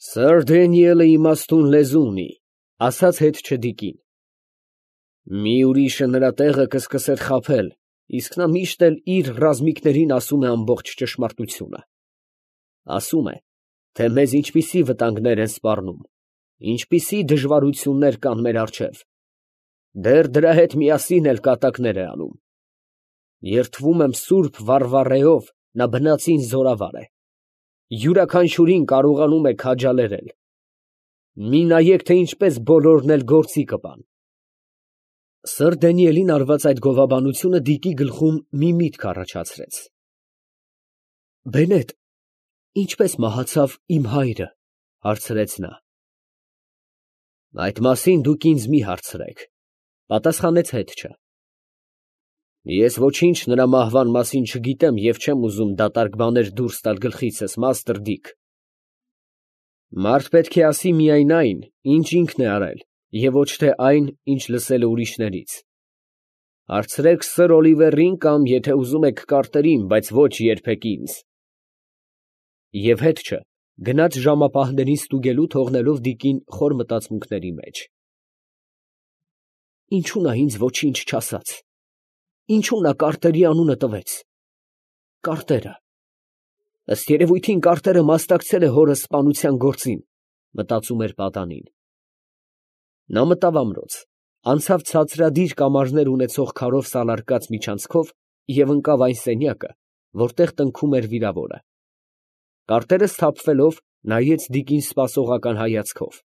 Սըր Դենիելը իմաստուն լեզու ունի, ասաց հետ չդիկին։ Մի ուրիշը նրա տեղը կսկսեր խաբել, իսկ նա միշտ էլ իր ռազմիկներին ասում է ամբողջ ճշմարտությունը։ Ասում է, թե մեզ ինչպիսի վտանգներ են սպառնում, ինչպիսի դժվարություններ կան մեր առջև։ Դեռ դրա հետ միասին էլ կատակներ է անում։ Երդվում եմ սուրբ Վարվառեով, նա բնածին զորավար է։ Յուրաքանչյուրին կարողանում է քաջալերել։ Մի նայեք, թե ինչպես բոլորն էլ գործի կպան։ Սըր Դանիելին արված այդ գովաբանությունը Դիկի գլխում մի միտք առաջացրեց։ Բենետ, ինչպես մահացավ իմ հայրը, հարցրեց նա։ Այդ մասին դուք ինձ մի հարցրեք, պատասխանեց հետչը։ Ես ոչինչ նրա մահվան մասին չգիտեմ և չեմ ուզում դատարկ բաներ դուրս տալ գլխիցս, մաստր Դիկ։ Մարդ պետք է ասի միայն այն, ինչ ինքն է արել, և ոչ թե այն, ինչ լսել է ուրիշներից։ Հարցրեք սըր Օլիվերին կամ, եթե ուզում եք, Կարտերին, բայց ոչ երբեք ինձ։ Եվ հետչը գնաց ժամապահներին ստուգելու, թողնելով Դիկին խոր մտածմունքների մեջ։ Ինչու նա ինձ ոչինչ չասաց։ Ինչու նա Կարտերի անունը տվեց։ Կարտերը։ Ըստ երևույթին Կարտերը մասնակցել է հորս սպանության գործին, մտածում էր պատանին։ Նա մտավ ամրոց, անցավ ցածրադիր կամարներ ունեցող քարով սալարկած միջանցքով և ընկավ այն սենյակը, որտեղ տնքում էր վիրավորը։ Կարտերը սթափվելով նայեց Դիկին սպասողական հայացքով։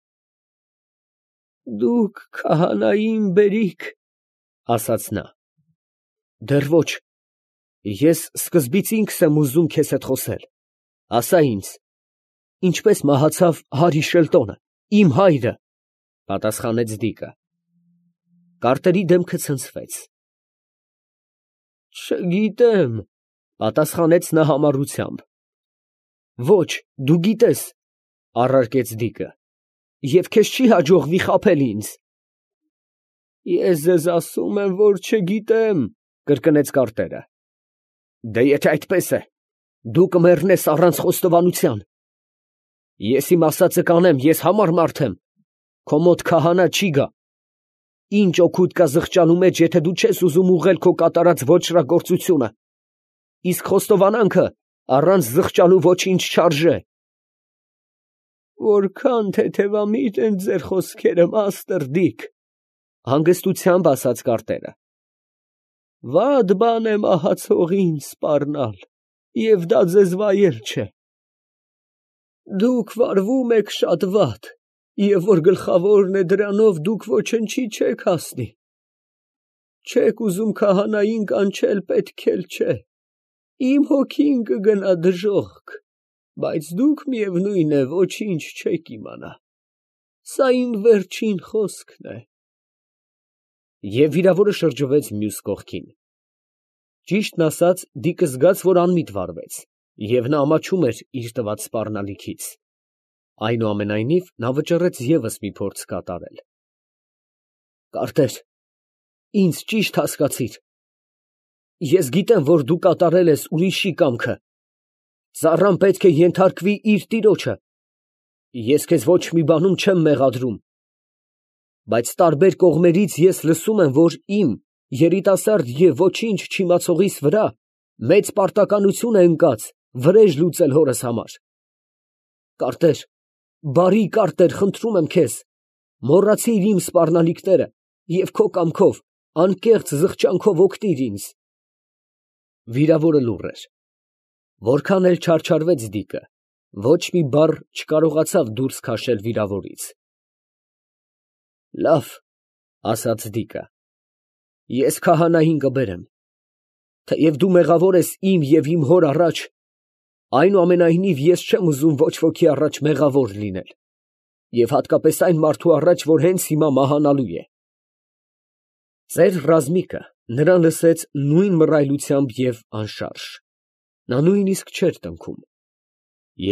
Դուք քահանային բերիք, ասաց նա։ Դեռ ոչ, ես սկզբից ինքս եմ ուզում քեզ հետ խոսել, ասա ինձ, ինչպես մահացավ Հարի Շելտոնը, իմ հայրը, պատասխանեց Դիկը։ Կարտերի դեմքը ցնցվեց։ Չգիտեմ, պատասխանեց նա համառությամբ։ Ոչ, դու գիտես, առարկեց Դիկը, և քեզ չի հաջողվի խաբել ինձ։ Ես ձեզ ասում եմ, որ չգիտեմ, կրկնեց Կարտերը։ Դե եթե այդպես է, դու կմեռնես առանց խոստովանության։ Ես իմ ասածը կանեմ, ես համար մարդ եմ, քո մոտ քահանա չի գա։ Ինչ օգուտ կա զղջալու մեջ, եթե դու չես ուզում ուղղել քո կատարած ոճրագործությունը, իսկ խոստովանանքը առանց զղջալու ոչինչ չարժե։ Որքան թեթևամիտ են ձեր խոսքերը, մաստր Դիկ, հանգստությամբ ասաց Կարտերը։ Վատ բան է մահացողին սպառնալ, և դա ձեզ վայել չէ։ Դուք վարվում եք շատ վատ, և որ գլխավորն է դրանով, դուք ոչնչի չեք հասնի։ Չեք ուզում քահանային կանչել, պետք էլ չէ։ Իմ հոգին կգնա դժոխք, բայց դուք միևնույն է, ոչինչ չեք իմանա։ Սա իմ վերջին խոսքն է։ Եվ վիրավորը շրջվեց մյուս կողքին։ Ճիշտն ասած, Դիկը զգաց, որ անմիտ վարվեց, և նա ամաչում էր իր տված սպառնալիքից։ Այնուամենայնիվ, նա վճռեց ևս մի փորձ կատարել։ Կարտեր, ինձ ճիշտ հասկացիր։ Ես գիտեմ, որ դու կատարել ես ուրիշի կամքը։ Ծառան պետք է ենթարկվի իր տիրոջը։ Ես քեզ ոչ մի բանում չեմ մեղադրում։ Բայց տարբեր կողմերից ես լսում եմ, որ իմ երիտասարդ և ոչինչ չիմացողիս վրա մեծ պարտականություն է ընկած վրեժ լուծել հորս համար։ Կարտեր, բարի Կարտեր, խնդրում եմ քեզ, մոռացիր իմ սպառնալիքները և քո կամքով, անկեղծ զղջանքով օգնիր ինձ։ Վիրավորը լուռ էր։ Որքան էլ չարչարվեց Դիկը, ոչ մի բառ չկարողացավ դուրս քաշել վիրավորից։ Լավ, ասաց Դիկը, ես քահանային կբերեմ, թեև դու մեղավոր ես իմ և իմ հոր առաջ, այնուամենայնիվ ես չեմ ուզում ոչ ոքի առաջ մեղավոր լինել, և հատկապես այն մարդու առաջ, որ հենց հիմա մահանալու է։ Ծեր ռազմիկը նրան լսեց նույն մռայլությամբ և անշարժ, նա նույնիսկ չէր տնքում։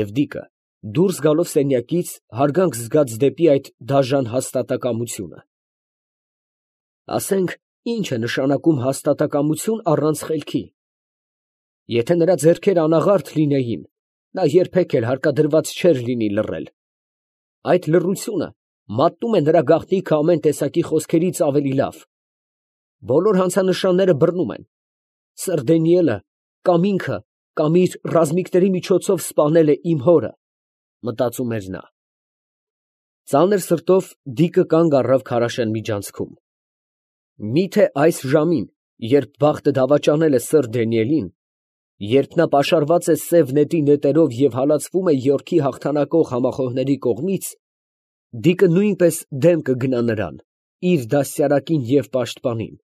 Եվ Դիկը, դուրս գալով սենյակից, հարգանք զգաց դեպի այդ դաժան հաստատակամությունը։ Ասենք, ինչ է նշանակում հաստատակամություն առանց խելքի։ Եթե նրա ձեռքերը անաղարտ լինեին, նա երբեք էլ հարկադրված չէր լինի լռել։ այդ լռությունը մատնում է նրա գաղտնիքը ամեն տեսակի խոսքերից ավելի լավ։ Բոլոր հանցանշանները բռնում են։ Սըր Դանիելը կամ ինքը, կամ իր ռազմիկների միջոցով սպանել է իմ հորը, մտածում էր նա։ Ծանր սրտով Դիկը կանգ առավ քարաշեն միջանցքում։ Միթե այս ժամին, երբ բախտը դավաճանել է սըր Դանիելին, երբ նա պաշարված է սև նետի նետերով և հալածվում է Եորքի հաղթանակող համախոհների կողմից, Դիկը նույնպես դեմ կգնա նրան, իր դաստիարակին և պաշտպանին։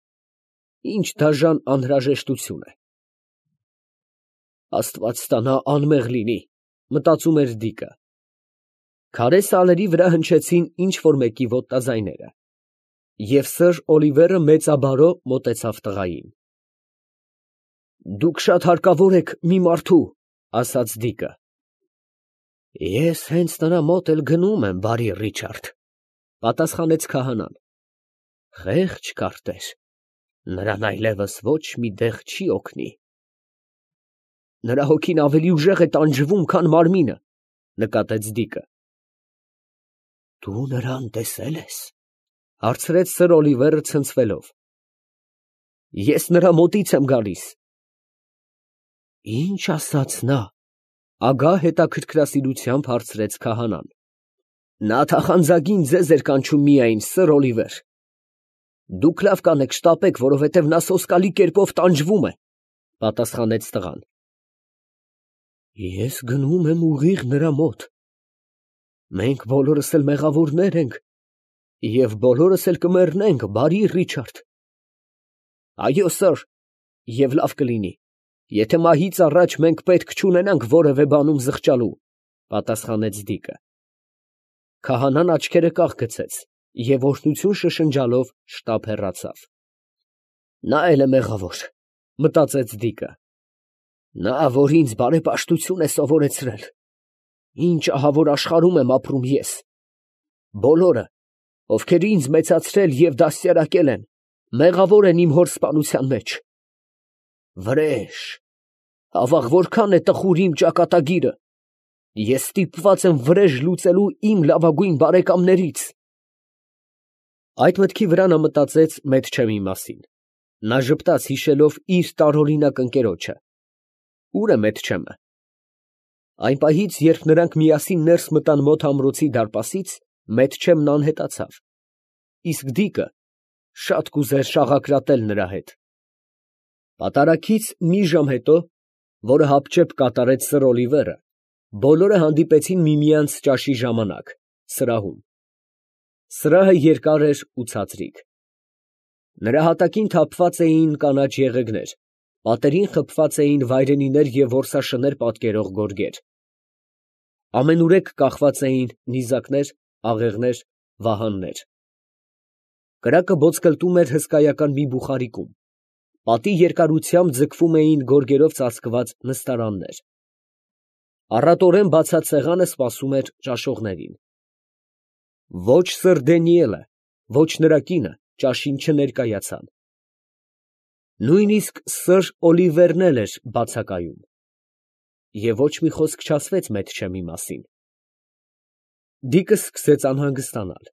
Ինչ դաժան անհրաժեշտություն է։ Աստված տա նա անմեղ լինի, մտածում էր Դիկը։ Քարե սալերի վրա հնչեցին ինչ֊որ մեկի ոտնաձայները, և սըր Օլիվերը մեծաբարո մոտեցավ տղային։ «Դուք շատ հարկավոր եք մի մարդու», ասաց Դիկը։ «Ես հենց նրա մոտ էլ գնում եմ, բարի Ռիչարդ», պատասխանեց քահանան։ «Խեղճ քարտեր, նրան այլևս ոչ մի դեղ չի օգնի»։ «Նրա հոգին ավելի ուժեղ է տանջվում, քան մարմինը», նկատեց Դիկը։ «Դու նրան տեսե՞լ ես», հարցրեց սըր Օլիվերը ցնցվելով։ «Ես նրա մոտից եմ գալիս»։ «Ինչ ասաց նա», ագահ հետաքրքրասիրությամբ հարցրեց քահանան։ «Նա թախանձագին ձեզ էր կանչում միայն, սըր Օլիվեր»։ «Դուք լավ կանեք շտապեք, որովհետև նա սոսկալի կերպով տանջվում է», պատասխանեց տղան։ «Ես գնում եմ ուղիղ նրա մոտ։ Մենք բոլորս էլ մեղավորներ ենք և բոլորս էլ կմեռնենք, բարի Ռիչարդ»։ «Այո, սըր, և լավ կլինի, եթե մահից առաջ մենք պետք չունենանք որևէ բանում զղջալու», պատասխանեց Դիկը։ Քահանան աչքերը կախ գցեց և օրհնություն շշնջալով շտապ հեռացավ։ Նա էլ է մեղավոր, մտածեց Դիկը։ Նա, որ ինձ բարեպաշտություն է սովորեցրել, ինչ ահավոր աշխարհում եմ ապրում ես։ Բոլորը, ովքեր ինձ մեծացրել և դաստիարակել են, մեղավոր են իմ հոր սպանության մեջ։ Վրեժ, ավաղ որքան է տխուր իմ ճակատագիրը, ես ստիպված եմ վրեժ լուծելու իմ լավագույն բարեկամներից։ Այդ մտքի վրա նա մտածեց Մեթչեմի մասին։ Նա ժպտաց հիշելով իր տարօրինակ ընկերոջը։ Ո՞ւր է Մեթչեմը։ Այն պահից, երբ նրանք միասին ներս մտան մոտ ամրոցի դարպասից, Մեթչեմն անհետացավ, իսկ Դիկը շատ կուզեր շաղակրատել նրա հետ։ Պատարագից մի ժամ հետո, որը հապճեպ կատարեց սըր Օլիվերը, բոլորը հանդիպեցին միմյանց ճաշի ժամանակ, սրահում։ Սրահը երկար էր ու ցածրիկ։ Նրա հատակին թափված էին կանաչ եղեգներ, պատերին խփված էին վայրենիներ և որսաշներ պատկերող գորգեր։ Ամենուրեք կախված էին նիզակներ, աղեղներ, վահաններ։ Կրակը ոտսկլտում էր հսկայական մի բուխարիկում։ Պատի երկարությամբ ձգվում էին գորգերով ծածկված նստարաններ։ Առատորեն բացած սեղանը սպասում էր ճաշողներին։ Ոչ սըր Դանիելը, ոչ նրա կինը ճաշին չներկայացան։ Նույնիսկ սըր Օլիվերն էլ էր բացակայում։ Եվ ոչ մի խոսք չասվեց Մեթչեմի մասին։ Դիկը սկսեց անհանգստանալ։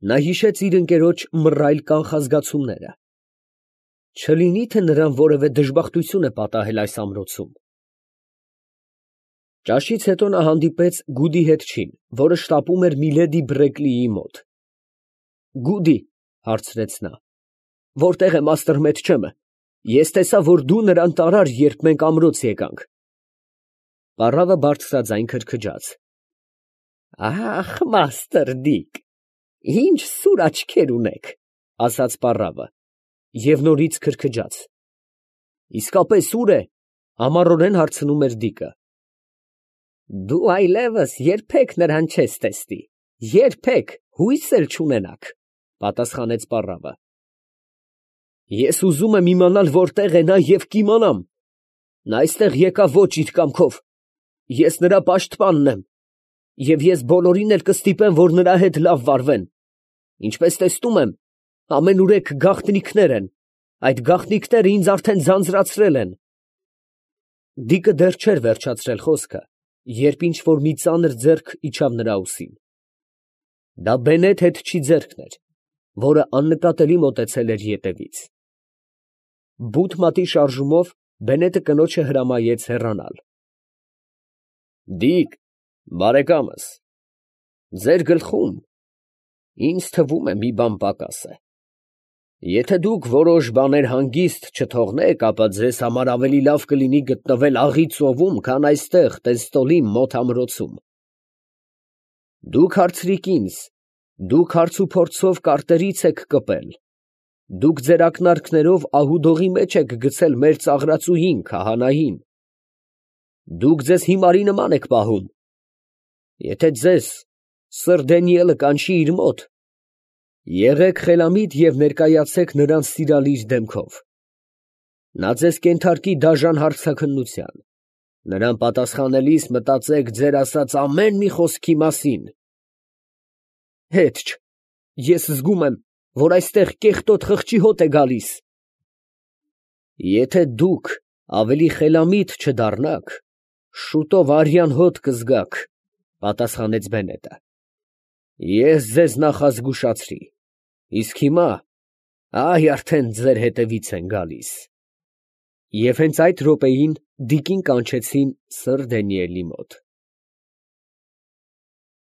Նա հիշեց իր ընկերոջ մռայլ կանխազգացումները։ Չլինի՞ թե նրան որևէ դժբախտություն է պատահել այս ամրոցում։ Ճաշից հետո նա հանդիպեց Գուդի հետչին, որը շտապում էր միլեդի Բրեկլիի մոտ։ Գուդի, հարցրեց նա, որտե՞ղ է մաստր Մեթչեմը։ Ես տեսա, որ դու նրան տարար, երբ մենք ամրոց եկանք։ Պառավը բարձրաձայն քրքջաց։ Ախ, մաստր Դիկ, ինչ սուր աչքեր ունեք, ասաց պառավը, և նորից քրքջաց։ Իսկապես ո՞ւր է, համառորեն հարցնում էր Դիկը։ Դու այլևս երբեք նրան չես տեսնի, երբեք, հույս էլ չունենաք, պատասխանեց պառավը։ Ես ուզում եմ իմանալ որտեղ է նա և կիմանամ։ Նա այստեղ եկավ ոչ իր կամքով, ես նրա պաշտպանն եմ, և ես բոլորին էլ կստիպեմ, որ նրա հետ լավ վարվեն։ Ինչպես տեսնում եմ, ամենուրեք գաղտնիքներ են, այդ գաղտնիքները ինձ արդեն ձանձրացրել են։ Դիկը դեռ չէր վերջացրել խոսքը, երբ ինչ֊որ մի ծանր ձեռք իջավ նրա ուսին։ Դա Բենետ հետչի ձեռքն էր, որը աննկատելի մոտեցել էր ետևից։ Բութ մատի շարժումով Բենետը կնոջը հրամայեց հեռանալ։ Դիկ, բարեկամս, ձեր գլխում ինձ թվում է մի բան պակաս է։ Եթե դուք որոշ բաներ հանգիստ չթողնեք, ապա ձեզ համար ավելի լավ կլինի գտնվել աղի ծովում, քան այստեղ Տեստոլի մոտ ամրոցում։ Դուք հարցրիք ինձ, դուք հարց ու փորձով կարտերից եք կպել, դուք ձեր ակնարկներով ահուդողի մեջ եք գցել մեր ծաղրածուհին քահանային, դուք ձեզ հիմարի նման եք պահում։ Եթե ձեզ Սըր Դանիելը կանչի իր մոտ, եղեք խելամիտ և ներկայացեք նրան սիրալիր դեմքով. նա ձեզ կենթարկի դաժան հարցաքննության, նրան պատասխանելիս մտածեք ձեր ասած ամեն մի խոսքի մասին։ Հետ չ, ես զգում եմ, որ այստեղ կեղտոտ խղճի հոտ է գալիս։ Եթե դուք ավելի խելամիտ չդառնաք, շուտով արյան հոտ կզգաք, պատասխանեց Բենետը։ Ես ձեզ նախազգուշացրի, իսկ հիմա, այ արդեն ձեր հետևից են գալիս։ Եվ հենց այդ րոպեին դիկին կանչեցին Սըր Դանիելի մոտ։